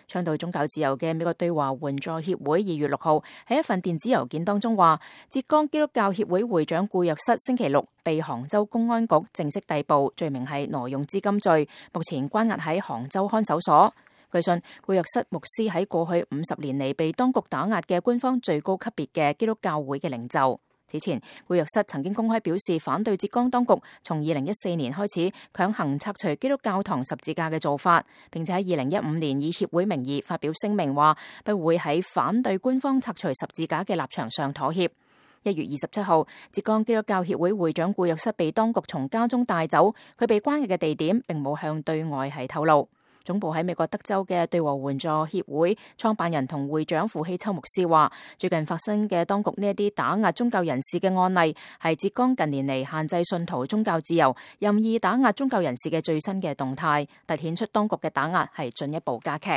倡導宗教自由嘅美國對華援助協會2月6號喺一份電子郵件當中話，浙江基督教協會會長顧若瑟星期六被杭州公安局正式逮捕，罪名係挪用資金罪，目前關押喺杭州看守所。據信，顧若瑟牧師喺過去50年嚟被當局打壓嘅官方最高級別嘅基督教會嘅領袖。此前，顧若瑟曾經公開表示反對浙江當局從2014年開始強行拆除基督教堂十字架嘅做法，並且喺2015年以協會名義發表聲明話不會喺反對官方拆除十字架嘅立場上妥協。1月27號，浙江基督教協會會長顧若瑟被當局從家中帶走，佢被關押嘅地點並冇向對外係透露。總部喺美國德州嘅對華援助協會創辦人同會長傅希秋牧師話，最近發生嘅當局呢一啲打壓宗教人士嘅案例，係浙江近年嚟限制信徒宗教自由、任意打壓宗教人士嘅最新嘅動態，凸顯出當局嘅打壓係進一步加劇。